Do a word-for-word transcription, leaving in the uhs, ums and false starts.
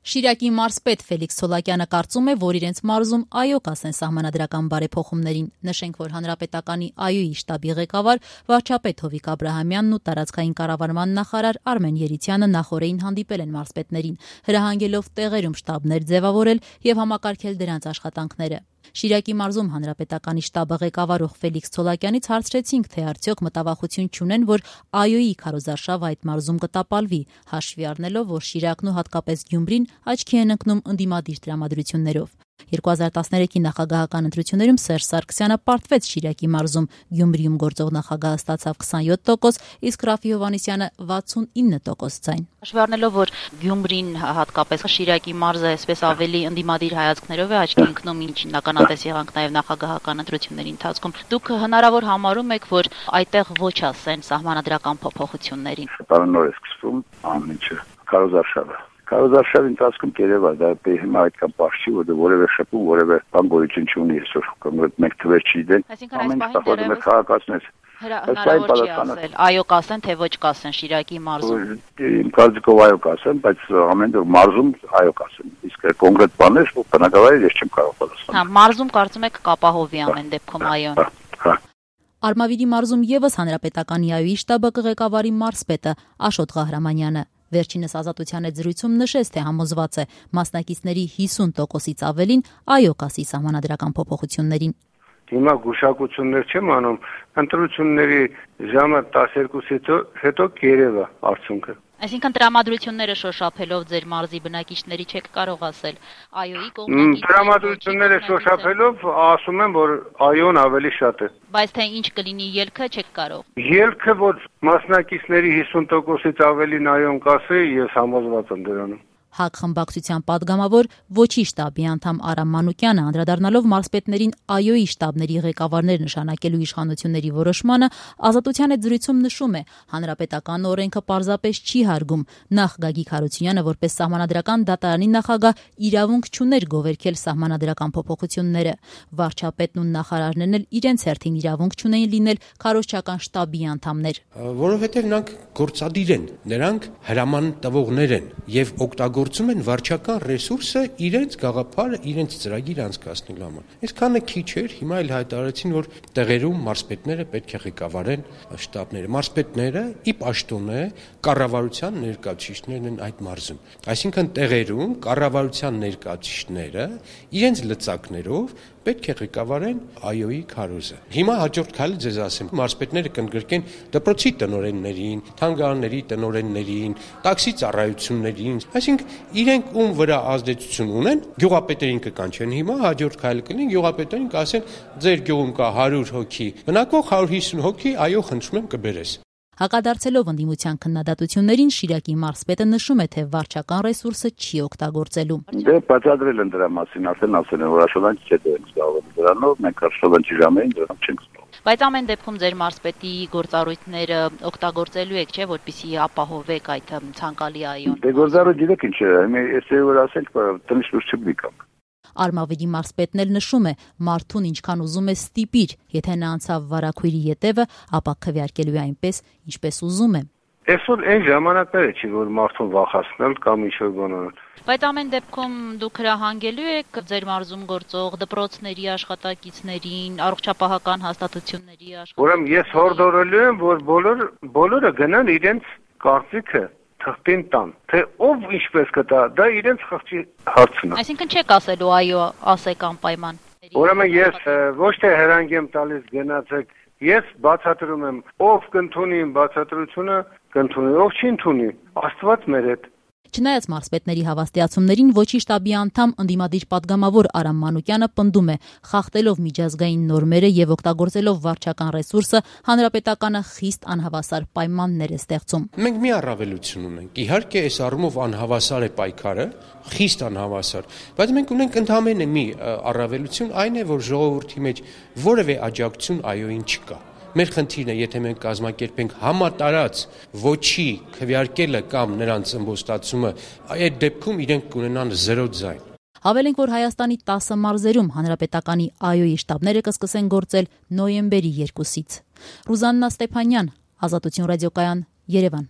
Շիրակի մարզպետ Ֆելիքս Ցոլակյանը կարծում է, որ իրենց մարզում այո կասեն սահմանադրական բարեփոխումներին։ Նշենք, որ Հանրապետականի ԱՅՈ-ի շտաբի ղեկավար վարչապետ Հովիկ Աբրահամյանն ու տարածքային կառավարման նախարար Արմեն Երիցյանը նախօրեին հանդիպել են մարզպետներին, հրահանգելով տեղերում շտաբներ ձևավորել եւ համակարգել դրանց աշխատանքները։ Շիրակի մարզում Հանրապետականի շտաբը ղեկավարող Ֆելիքս Ցոլակյանից հարցրեցինք, թե արդյոք մտավախություն չունեն, որ ԱՅՈ-ի քարոզարշավը այդ մարզում կտապալվի, հաշվի առնելով, որ Շիրակն ու հատկապես Գյումրին աչքի են ընկնում ընդդիմադիր տրամադրություններով։ երկու հազար տասներեքի նախագահական ընտրություններում Սերժ Սարգսյանը պարտվեց Շիրակի մարզում, Գյումրիում գործող նախագահը ստացավ քսանյոթ տոկոս, իսկ Ռաֆի Հովհաննիսյանը վաթսունինը տոկոս ձայն։ Հաշվի առնելով, որ Գյումրին հատկապես Շիրակի մարզը այսպես ավելի ընդդիմադիր հայացքներով է աչքի ընկնում, ինչին ականատես եղանք նաև նախագահական ընտրությունների ընթացքում, դուք հնարավոր համարում եք, որ այդտեղ ոչ ասեն սահմանադրական փոփոխություններին։ Շտաբնոր է սկսվում ամեն ինչը, քարոզարշավը։ Քարոզարշավի ընթացքում երևա դա հիմա այդքան պարզ չի, որ որևէ շփում, որևէ բան գոյություն չունի այսօր, կոնկրետ մեկ թվեր չգիտեն։ Այսինքն այս պահին դեռևս քաղաքացիներ հնարավոր չի ասել, այո կասեն, թե ոչ կասեն Շիրակի մարզում։ Իմ կարծիքով այո կասեն, բայց ամեն դեպքում մարզում այո կասեն։ Իսկ կոնկրետ բաներ, որ բնակավայր ես չեմ կարող պատասխանել։ Հա, մարզում կարծում եք կապահովի ամեն դեպքում այոն։ Արմավիրի մարզում եւս Հանրապետականի ԱՅՈ-ի շտաբը կղեկավարի մարզպետը Աշոտ Ղահրամանյանը։ Վերջինս Ազատության հետ զրույցում նշեց, թե համոզված է մասնակիցների հիսուն տոկոսից ավելին այո կասի սահմանադրական փոփոխություններին։ Հիմա գուշակություններ չեմ անում, ընտրությունների ժամը տասներկուսից հետո կերևա արդյունքը։ Այսինքն տրամադրությունները շոշափելով ձեր մարզի բնակիչների չեք կարող ասել ԱՅՈ-ի կողմնակիցների։ Տրամադրությունները շոշափելով ասում եմ, որ ԱՅՈ-ն ավելի շատ է։ Բայց թե ինչ կլինի ելքը չեք կարող։ Ելքը, որ մասնակիցների հիսուն տոկոսից ավելին ԱՅՈ-ն կասի, ես համոզված եմ դրանում։ ՀԱԿ խմբակցության падգամավոր Ոչի շտաբի անդամ Արամ Մանուկյանը անդրադառնալով մարզպետներին ԱՅՈ-ի շտաբների ղեկավարներ նշանակելու իշխանությունների որոշմանը Ազատության հետ զրույցում նշում է, հանրապետական օրենքը պարզապես չի հարգում, նախ Գագիկ Հարությունյանը որպես սահմանադրական դատարանի նախագահ իրավունք չուներ գովերքել սահմանադրական փոփոխությունները, վարչապետն ու նախարարներն էլ իրենց հերթին իրավունք չունեին լինել քարոզչական շտաբի անդամներ։ Որովհետև նրանք գործադիր են, նրանք հրաման տվողներ են եւ օգտագործում են վարչական ռեսուրսը իրենց գաղափարը, իրենց ծրագիր անցկացնելու համար։ Այսքանը քիչ էր, հիմա էլ հայտարարեցին, որ տեղերում մարզպետները պետք է ղեկավարեն շտաբները։ Մարզպետները ի պաշտոնե կառավարության ներկայացուցիչներն են այդ մարզում։ Այսինքն տեղերում կառավարության ներկայացուցիչները իրենց լծակներով պետք է ղեկավարեն ԱՅՈ-ի քարոզը։ Հիմա հաջորդ քայլը ձեզ ասեմ, մարզպետները կընդգրկեն դպրոցի տնօրեններին, թանգարանների տնօրեններին, տաքսի ծառայություններին, այսինքն իրենք ում վրա ազդեցություն ունեն, գյուղապետերին կկանչեն հիմա, հաջորդ քայլը կլինի, գյուղապետերին կասեն, ձեր գյուղում կա հարյուր հոգի, բնակվող հարյուր հիսուն հոգի, այո, խնդրում եմ կբերես։ Հակադարձելով ընդդիմության քննադատություններին Շիրակի մարզպետը նշում է, թե վարչական ռեսուրսը չի օգտագործելու։ Դե բացատրել են դրա մասին, արդեն ասել են, որ աշխատանքի չէ դրանք զբաղվում դրանով, մենք աշխատանքի ժամերին դրանով չենք զբաղվում։ Բայց ամեն դեպքում ձեր մարզպետի գործառույթները օգտագործելու եք, չէ, որպեսզի ապահովեք այդ ցանկալի ԱՅՈ-ն։ Դե գործառույթ գիտեք ինչ է, ես որ ասենք, տնից դուրս չգնի կամ։ Արմավիրի մարզպետն էլ նշում է, մարդուն ինչքան ուզում է ստիպիր, եթե նա անցավ վարակույրի ետևը, ապա քվեարկելու է այնպես, ինչպես ուզում է։ Այսօր այն ժամանակները չի, որ մարդուն վախացնել կամ ինչ-որ բան անել։ Բայց ամեն դեպքում դուք հրահանգելու եք ձեր մարզում գործող դպրոցների աշխատակիցներին, առողջապահական հաստատությունների աշխատակիցներին։ Ուրեմն ես հորդորելու եմ, որ բոլոր բոլորը գնան իրենց կարծիքը թղթին տան, թե ով ինչպես կտա, դա իրենց խղճի հարցն է։ Այսինքն չեք ասելու այո, ասեք անպայման։ Ուրեմն ես ոչ թե հրանգ եմ տալիս գնացեք, ես բացատրում եմ, ով կընդունի իմ բացատրությունը, կընդունի, ով չի ընդունի, Աստված մեր հետ։ Չնայած մարզպետների հավաստիացումներին Ոչի շտաբի անդամ ընդդիմադիր падգամավոր Արամ Մանուկյանը պնդում է, խախտելով միջազգային նորմերը եւ օգտագործելով վարչական ռեսուրսը, հանրապետականը խիստ անհավասար պայմաններ է ստեղծում։ Մենք մի առավելություն ունենք։ Իհարկե, այս առումով անհավասար է պայքարը, խիստ անհավասար, բայց մենք ունենք ընդհանրապես մի առավելություն, այն է, որ ժողովրդի մեջ որևէ աջակցություն ԱՅՈ-ին չկա։ Մեր խնդիրն է, եթե մենք կազմակերպենք համատարած ոչի քվեարկելը կամ նրանց ըմբոստացումը, այդ դեպքում իրենք կունենան զերո ձայն։ Հավելենք, որ Հայաստանի տասը մարզերում հանրապետականի ԱՅՈ-ի շտաբները կսկսեն գործել նոյեմբերի երկուսից։ Ռուզաննա Ստեփանյան, Ազատություն ռադիոկայան, Երևան։